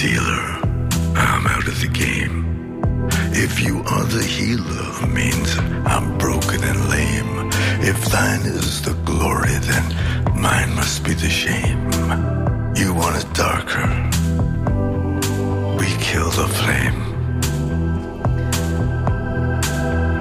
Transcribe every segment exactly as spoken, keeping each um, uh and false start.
dealer, I'm out of the game. If you are the healer, means I'm broken and lame. If thine is the glory, then mine must be the shame. You want it darker, we kill the flame.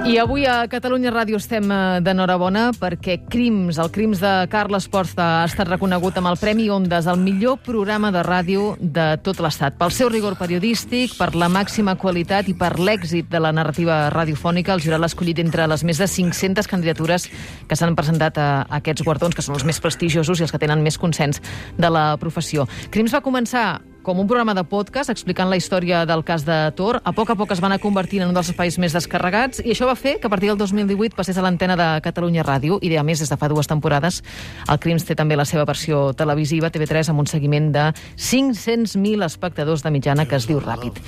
I avui a Catalunya Ràdio estem d'enhorabona perquè Crims, el Crims de Carles Porta, ha estat reconegut amb el Premi Ondas, el millor programa de ràdio de tot l'Estat. Pel seu rigor periodístic, per la màxima qualitat i per l'èxit de la narrativa radiofònica, el jurat l'ha escollit entre les més de cinc-centes candidatures que s'han presentat a aquests guardons, que són els més prestigiosos i els que tenen més consens de la professió. Crims va començar com un programa de podcast explicant la història del cas de Tor. A poc a poc es van anar convertint en un dels espais més descarregats i això va fer que a partir del dos mil divuit passés a l'antena de Catalunya Ràdio i, a més, des de fa dues temporades, el Crims té també la seva versió televisiva, T V tres, amb un seguiment de cinc-cents mil espectadors de mitjana, que es diu Ràpid.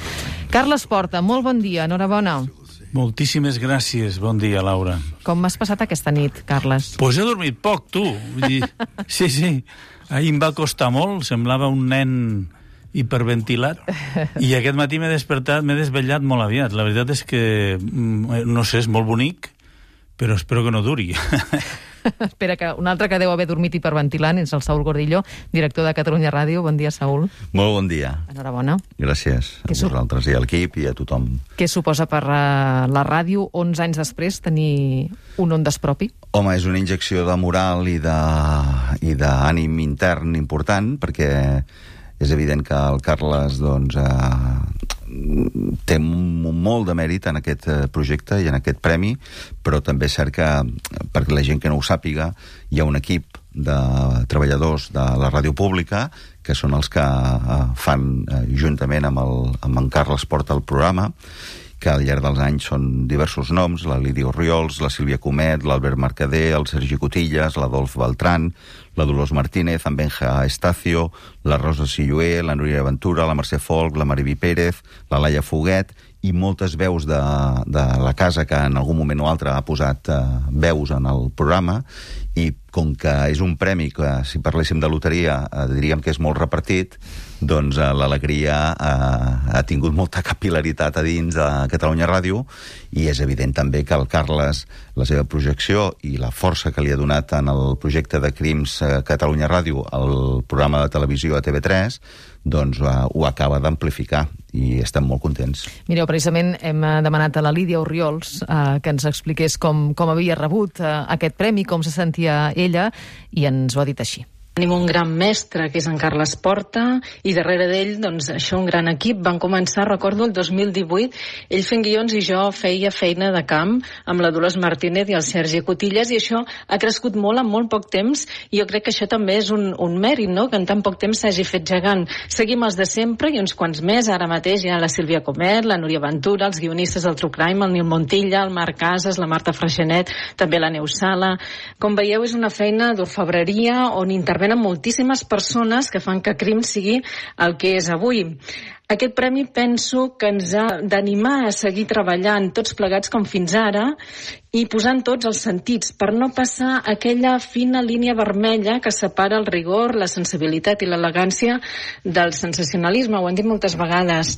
Carles Porta, molt bon dia, enhorabona. Moltíssimes gràcies, bon dia, Laura. Com m'has passat aquesta nit, Carles? Pues he dormit poc, tu. Vull dir, sí, sí, ahir em va costar molt, semblava un nen hiperventilat, i aquest matí m'he despertat, m'he desvetllat molt aviat. La veritat és que, no sé, és molt bonic, però espero que no duri. Espera, que un altre que deu haver dormit hiperventilant és el Saúl Gordillo, director de Catalunya Ràdio. Bon dia, Saúl. Molt bon dia. Enhorabona. Gràcies a vosaltres i a l'equip i a tothom. Què suposa per la ràdio, onze anys després, tenir un Ondas propi? Home, és una injecció de moral i d'ànim intern important, perquè és evident que el Carles doncs, eh, té molt de mèrit en aquest projecte i en aquest premi, però també és cert que, perquè la gent que no ho sàpiga, hi ha un equip de treballadors de la ràdio pública que són els que eh, fan, eh, juntament amb, el, amb en Carles Porta, el programa, que al llarg dels anys són diversos noms: la Lídia Orriols, la Sílvia Comet, l'Albert Mercader, el Sergi Cotillas, l'Adolf Beltrán, la Dolors Martínez, en Benja Estacio, la Rosa Silloé, la Núria Ventura, la Mercè Folch, la Mariví Pérez, la Laia Foguet i moltes veus de, de la casa que en algun moment o altre ha posat eh, veus en el programa. I com que és un premi que, si parléssim de loteria, eh, diríem que és molt repartit, doncs eh, l'alegria eh, ha tingut molta capil·laritat a dins de Catalunya Ràdio, i és evident també que el Carles, la seva projecció i la força que li ha donat en el projecte de Crims eh, Catalunya Ràdio, el programa de televisió a T V tres, doncs eh, ho acaba d'amplificar i estem molt contents. Mireu, precisament hem demanat a la Lídia Orriols eh, que ens expliqués com, com havia rebut eh, aquest premi, com se sentia ella, i ens ho ha dit així. Tenim un gran mestre, que és en Carles Porta, i darrere d'ell, doncs, això, un gran equip. Van començar, recordo, el dos mil divuit, ell fent guions i jo feia feina de camp amb la Dolors Martínez i el Sergi Cotillas, i això ha crescut molt en molt poc temps, i jo crec que això també és un, un mèrit, no?, que en tan poc temps s'hagi fet gegant. Seguim els de sempre i uns quants més. Ara mateix hi ha la Sílvia Comet, la Núria Ventura, els guionistes del True Crime, el Nil Montilla, el Marc Casas, la Marta Freixenet, també la Neus Sala. Com veieu, és una feina d'orfebreria on intervenen amb moltíssimes persones que fan que Crims sigui el que és avui. Aquest premi penso que ens ha d'animar a seguir treballant tots plegats com fins ara i posant tots els sentits per no passar aquella fina línia vermella que separa el rigor, la sensibilitat i l'elegància del sensacionalisme. Ho hem dit moltes vegades.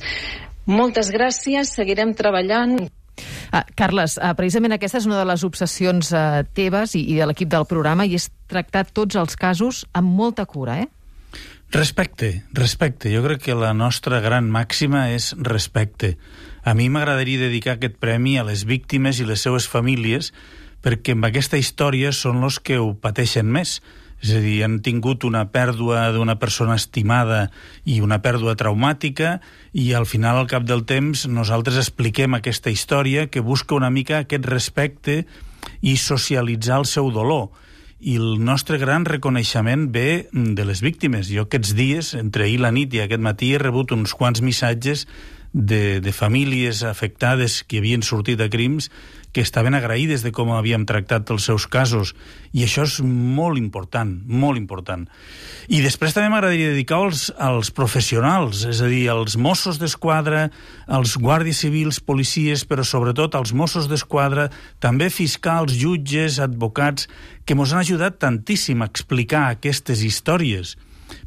Moltes gràcies, seguirem treballant. Ah, Carles, ah, precisament aquesta és una de les obsessions ah, teves i, i de l'equip del programa, i és tractar tots els casos amb molta cura, eh? Respecte, respecte. Jo crec que la nostra gran màxima és respecte. A mi m'agradaria dedicar aquest premi a les víctimes i les seues famílies, perquè amb aquesta història són els que ho pateixen més. És a dir, han tingut una pèrdua d'una persona estimada i una pèrdua traumàtica, i al final, al cap del temps, nosaltres expliquem aquesta història que busca una mica aquest respecte i socialitzar el seu dolor. I el nostre gran reconeixement ve de les víctimes. Jo aquests dies, entre ahir la nit i aquest matí, he rebut uns quants missatges de, de famílies afectades que havien sortit a Crims, que estaven agraïdes de com havíem tractat els seus casos, i això és molt important, molt important. I després també m'agradaria dedicar als, als professionals, és a dir, als Mossos d'Esquadra, als guàrdies civils, policies, però sobretot als Mossos d'Esquadra, també fiscals, jutges, advocats, que mos han ajudat tantíssim a explicar aquestes històries.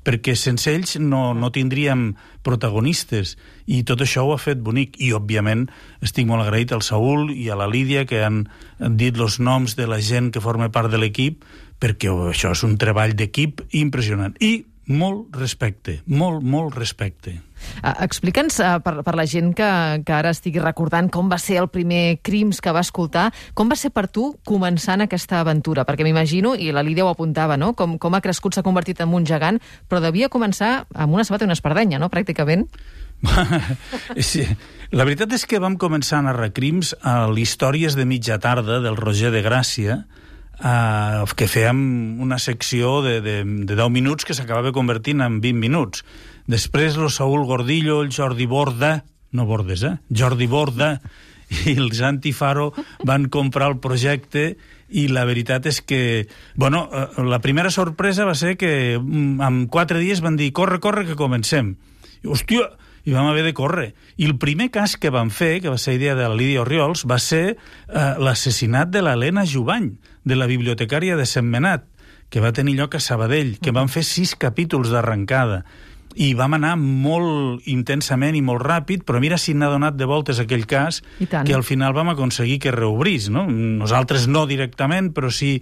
perquè sense ells no, no tindríem protagonistes, i tot això ho ha fet bonic. I, òbviament, estic molt agraït al Saúl i a la Lídia, que han dit els noms de la gent que forma part de l'equip, perquè això és un treball d'equip impressionant. I molt respecte, molt, molt respecte. Uh, Explica'ns, uh, per, per la gent que, que ara estigui recordant com va ser el primer Crims que va escoltar, com va ser per tu començant aquesta aventura? Perquè m'imagino, i la Lídia ho apuntava, no? com, com ha crescut, s'ha convertit en un gegant, però devia començar amb una sabata i una espardenya, no?, pràcticament. Sí. La veritat és que vam començar a narrar crims a l'Històries de mitja tarda del Roger de Gràcia, Uh, que fèiem una secció de, de, de deu minuts que s'acabava convertint en vint minuts. Després el Saúl Gordillo, el Jordi Borda, no Bordes, eh? Jordi Borda i el Santi Faro van comprar el projecte, i la veritat és que, bueno, la primera sorpresa va ser que en quatre dies van dir corre, corre, que comencem. I, hòstia, i vam haver de córrer. I el primer cas que van fer, que va ser idea de la Lídia Orriols, va ser eh, l'assassinat de l'Helena Jubany, de la bibliotecària de Sentmenat, que va tenir lloc a Sabadell, que van fer sis capítols d'arrencada. I vam anar molt intensament i molt ràpid, però mira si n'ha donat de voltes aquell cas, que al final vam aconseguir que reobrís, no? Nosaltres no directament, però sí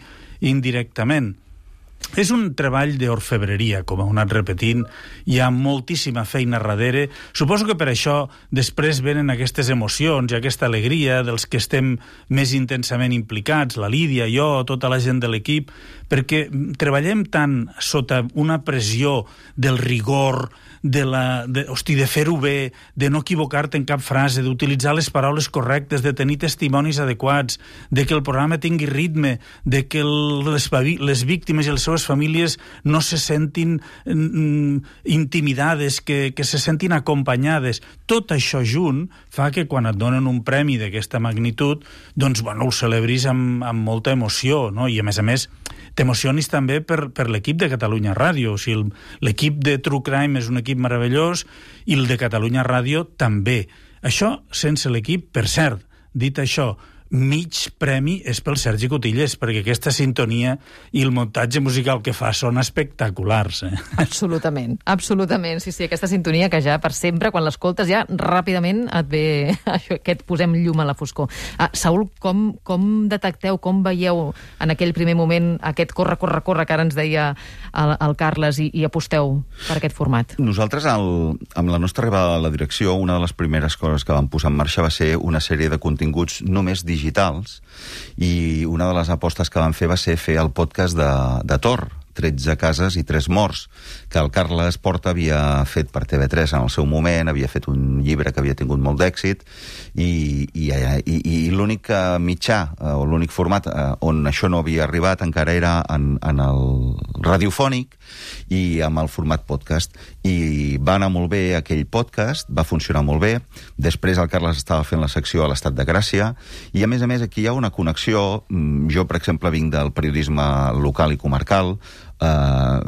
indirectament. És un treball d'orfebreria, com ha anat repetint, hi ha moltíssima feina darrere. Suposo que per això després venen aquestes emocions i aquesta alegria dels que estem més intensament implicats, la Lídia, jo, tota la gent de l'equip, perquè treballem tant sota una pressió del rigor, de, la, de, hosti, de fer-ho bé, de no equivocar-te en cap frase, d'utilitzar les paraules correctes, de tenir testimonis adequats, de que el programa tingui ritme, de que el, les, les víctimes i les seves famílies no se sentin mm, intimidades, que, que se sentin acompanyades. Tot això junt fa que quan et donen un premi d'aquesta magnitud, doncs, bueno, ho celebris amb, amb molta emoció, no? I a més a més t'emocionis també per, per l'equip de Catalunya Ràdio. O sigui, l'equip de True Crime és un equip meravellós i el de Catalunya Ràdio també. Això sense l'equip, per cert, dit això, mig premi és pel Sergi Cotilles, perquè aquesta sintonia i el muntatge musical que fa són espectaculars. Eh? Absolutament, absolutament. Sí, sí, aquesta sintonia que ja per sempre, quan l'escoltes ja ràpidament et ve això, que et posem llum a la foscor. Ah, Saúl, com, com detecteu, com veieu en aquell primer moment aquest corre, corre, corre que ara ens deia el, el Carles i, i aposteu per aquest format? Nosaltres, el, amb la nostra arribada a la direcció, una de les primeres coses que vam posar en marxa va ser una sèrie de continguts només digitals digitals, i una de les apostes que van fer va ser fer el podcast de, de Tor, tretze cases i tres morts, que el Carles Porta havia fet per T V tres en el seu moment, havia fet un llibre que havia tingut molt d'èxit, i, i, i, i l'únic mitjà, o l'únic format on això no havia arribat encara era en, en el radiofònic i amb el format podcast. I va anar molt bé aquell podcast, va funcionar molt bé. Després el Carles estava fent la secció a l'Estat de Gràcia, i a més a més aquí hi ha una connexió. Jo, per exemple, vinc del periodisme local i comarcal. Uh,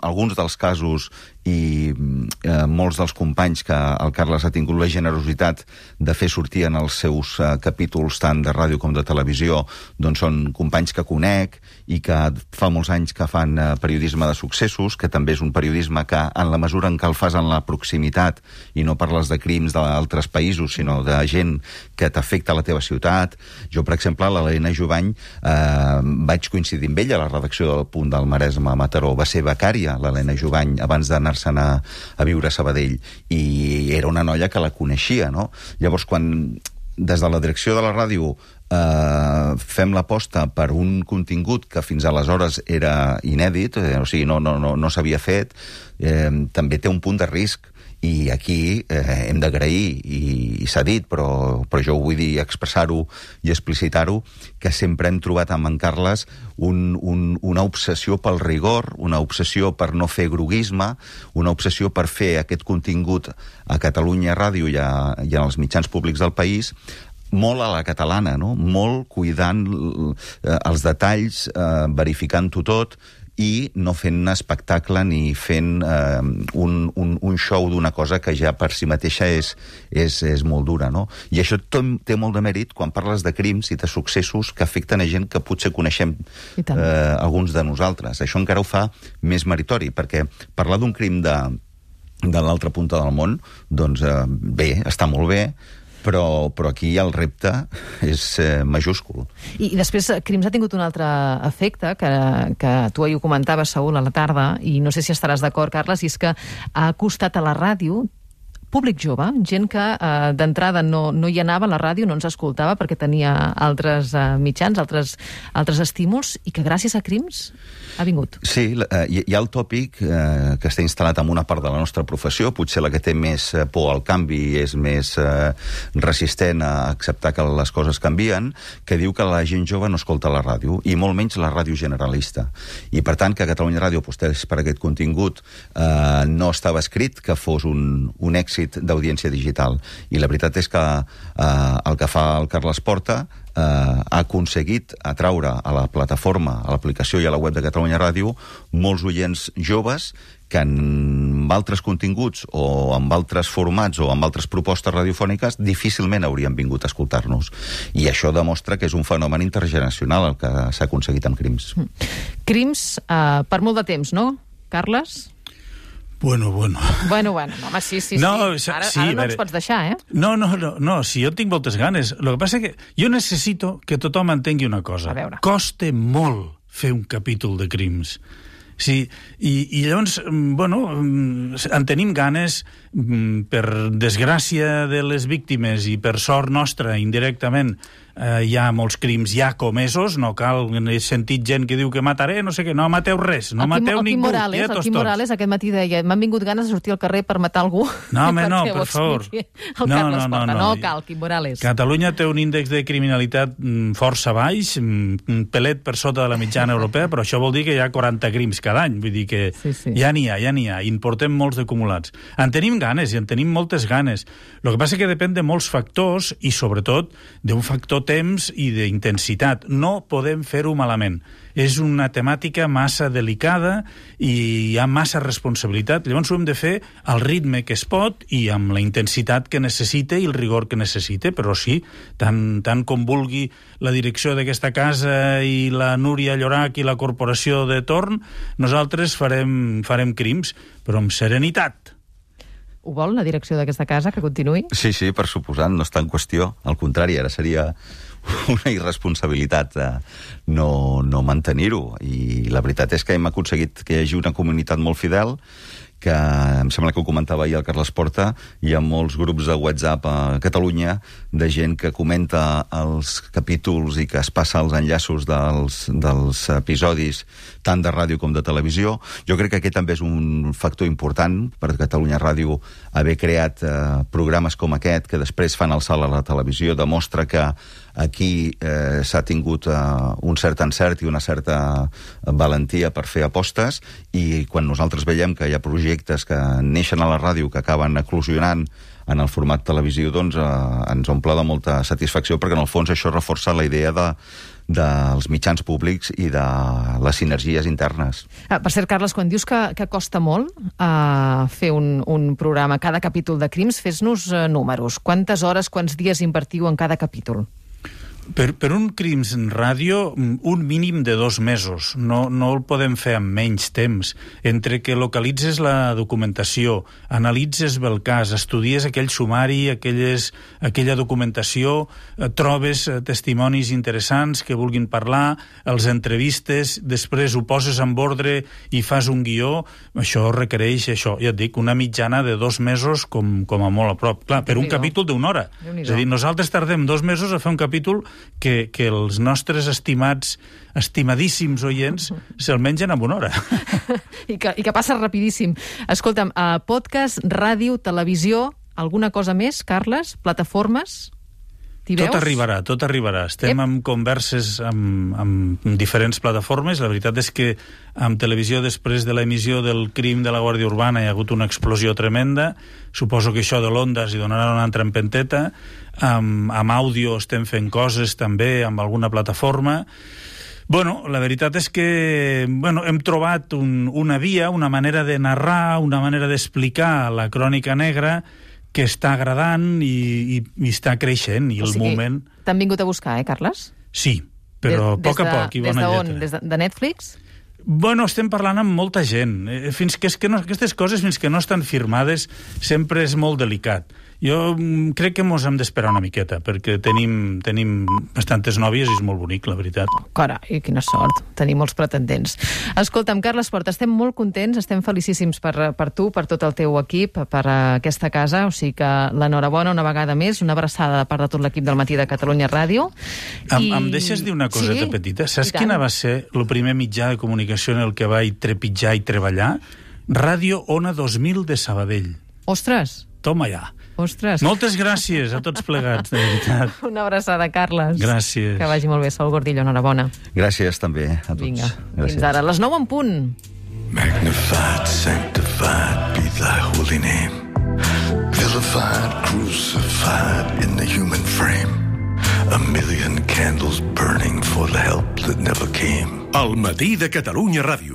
alguns dels casos i uh, molts dels companys que el Carles ha tingut la generositat de fer sortir en els seus uh, capítols tant de ràdio com de televisió, doncs són companys que conec i que fa molts anys que fan uh, periodisme de successos, que també és un periodisme que en la mesura en què el fas en la proximitat i no parles de crims d'altres països, sinó de gent que t'afecta a la teva ciutat. Jo, per exemple, l'Helena Jubany uh, vaig coincidir amb ella a la redacció del Punt del Maresme a Mataró. Va ser becària, l'Helena Jubany, abans d'anar-se'n a, a viure a Sabadell, i era una noia que la coneixia, no? Llavors, quan des de la direcció de la ràdio eh, fem l'aposta per un contingut que fins aleshores era inèdit, eh, o sigui, no, no, no, no s'havia fet, eh, també té un punt de risc. I aquí eh, hem d'agrair, i, i s'ha dit, però, però jo ho vull dir, expressar-ho i explicitar-ho, que sempre hem trobat amb en Carles un, un, una obsessió pel rigor, una obsessió per no fer groguisme, una obsessió per fer aquest contingut a Catalunya Ràdio i, a, i en els mitjans públics del país, molt a la catalana, no? Molt cuidant eh, els detalls, eh, verificant-ho tot, i no fent espectacle ni fent eh, un, un, un show d'una cosa que ja per si mateixa és, és, és molt dura, no? I això té molt de mèrit quan parles de crims i de successos que afecten a gent que potser coneixem eh, alguns de nosaltres. Això encara ho fa més meritori, perquè parlar d'un crim de, de l'altra punta del món, doncs eh, bé, està molt bé, Però, però aquí el repte és eh, majúscul. I, I després, Crims ha tingut un altre efecte, que, que tu ahir ho comentaves, Saúl, a la tarda, i no sé si estaràs d'acord, Carles, i és que ha costat a la ràdio públic jove, gent que eh, d'entrada no, no hi anava a la ràdio, no ens escoltava perquè tenia altres eh, mitjans, altres, altres estímuls, i que gràcies a Crims ha vingut. Sí, eh, hi, hi ha el tòpic eh, que està instal·lat en una part de la nostra professió, potser la que té més por al canvi, és més eh, resistent a acceptar que les coses canvien, que diu que la gent jove no escolta la ràdio, i molt menys la ràdio generalista. I per tant, que Catalunya Ràdio apostés per aquest contingut eh, no estava escrit que fos un, un èxit d'audiència digital. I la veritat és que eh, el que fa el Carles Porta eh, ha aconseguit atraure a la plataforma, a l'aplicació i a la web de Catalunya Ràdio molts oients joves que amb altres continguts o amb altres formats o amb altres propostes radiofòniques difícilment haurien vingut a escoltar-nos. I això demostra que és un fenomen intergeneracional el que s'ha aconseguit amb Crims. Crims, eh, per molt de temps, no, Carles? Bueno, bueno. Bueno, bueno, home, sí, sí, no, sí. Ara, sí, ara no veure, ens pots deixar, eh? No, no, no, no, si jo tinc moltes ganes. El que passa és que jo necessito que tothom entengui una cosa. A veure. Costa molt fer un capítol de Crims. Sí, i, i llavors, bueno, en tenim ganes, per desgràcia de les víctimes i per sort nostra, indirectament, eh, hi ha molts crims ja comesos, no cal, he sentit gent que diu que mataré, no sé què, no mateu res, no el mateu Quim, ningú. El Quim Morales, ja el Quim Morales aquest matí deia, m'han vingut ganes de sortir al carrer per matar algú. No, home, no, per favor. El no, Carles no, no, Porta, no, no cal, Quim Morales. Catalunya té un índex de criminalitat força baix, un pelet per sota de la mitjana europea, però això vol dir que hi ha quaranta crims cada any, vull dir que sí, sí. ja n'hi ha, ja n'hi ha, i en portem molts d'acumulats. En tenim ganes, i en tenim moltes ganes. El que passa és que depèn de molts factors, i sobretot d'un factor temps i d'intensitat. No podem fer-ho malament. És una temàtica massa delicada i hi ha massa responsabilitat. Llavors ho hem de fer al ritme que es pot i amb la intensitat que necessita i el rigor que necessita, però sí, tant, tant com vulgui la direcció d'aquesta casa i la Núria Llorach i la corporació de torn, nosaltres farem, farem Crims, però amb serenitat. Ho vol, la direcció d'aquesta casa, que continuï? Sí, sí, per suposant, no està en qüestió. Al contrari, ara seria una irresponsabilitat eh, no, no mantenir-ho. I la veritat és que hem aconseguit que hi hagi una comunitat molt fidel, que em sembla que ho comentava ahir el Carles Porta, hi ha molts grups de WhatsApp a Catalunya de gent que comenta els capítols i que es passa els enllaços dels, dels episodis tant de ràdio com de televisió. Jo crec que aquest també és un factor important per Catalunya Ràdio haver creat eh, programes com aquest que després fan el salt a la televisió, demostra que aquí eh, s'ha tingut eh, un cert encert i una certa valentia per fer apostes, i quan nosaltres veiem que hi ha projectes que neixen a la ràdio que acaben eclosionant en el format televisiu, doncs eh, ens omple de molta satisfacció, perquè en el fons això reforça la idea de dels mitjans públics i de les sinergies internes. Ah, per cert, Carles, quan dius que, que costa molt uh, fer un, un programa, cada capítol de Crims, fes-nos uh, números. Quantes hores, quants dies invertiu en cada capítol? Per, per un Crims en ràdio, un mínim de dos mesos. No, no el podem fer amb menys temps. Entre que localitzes la documentació, analitzes bé el cas, estudies aquell sumari, aquelles, aquella documentació, eh, trobes eh, testimonis interessants que vulguin parlar, els entrevistes, després ho poses en ordre i fas un guió, això requereix, això, ja et dic, una mitjana de dos mesos com, com a molt a prop. Clar, per un capítol d'una hora. És a dir, nosaltres tardem dos mesos a fer un capítol que, que els nostres estimats, estimadíssims oients se'l mengen en una hora. I que, i que passa rapidíssim. Escolta'm, uh, podcast, ràdio, televisió, alguna cosa més, Carles? Plataformes? T'hi veus? Tot arribarà, tot arribarà. Estem en converses amb, amb diferents plataformes. La veritat és que amb televisió, després de l'emissió del crim de la Guàrdia Urbana, hi ha hagut una explosió tremenda. Suposo que això de l'Ondas hi donarà una altra empenteta. Amb, amb àudio estem fent coses també amb alguna plataforma. Bueno, la veritat és que bueno, hem trobat un, una via, una manera de narrar, una manera d'explicar la crònica negra que està agradant i, i, i està creixent, i o el sigui, moment... T'han vingut a buscar, eh, Carles? Sí, però a poc a poc, i bona lletra. Des d'on? Des de, de Netflix? Bueno, estem parlant amb molta gent. Fins que, és que no, aquestes coses, fins que no estan firmades, sempre és molt delicat. Jo crec que mos hem d'esperar una miqueta, perquè tenim, tenim bastantes nòvies i és molt bonic, la veritat. Carai, quina sort, tenir molts pretendents. Escolta'm, Carles Porta, estem molt contents, estem felicíssims per, per tu, per tot el teu equip, per aquesta casa, o sigui que l'enhorabona una vegada més, una abraçada de part de tot l'equip del Matí de Catalunya Ràdio. I... Em, em deixes dir una coseta sí? petita? Saps quina va ser el primer mitjà de comunicació en el que vaig trepitjar i treballar? Ràdio Ona dos mil de Sabadell. Ostres! Toma ja. Ostres. Moltes gràcies a tots plegats, de veritat. Una abraçada, Carles. Gràcies. Que vagi molt bé, Sol Gordillo, enhorabona. Gràcies també a tots. Vinga, gràcies. fins ara. Les nou en punt. Magnified, sanctified be thy holy name. Vilified, crucified in the human frame. A million candles burning for the help that never came. El Matí de Catalunya Ràdio.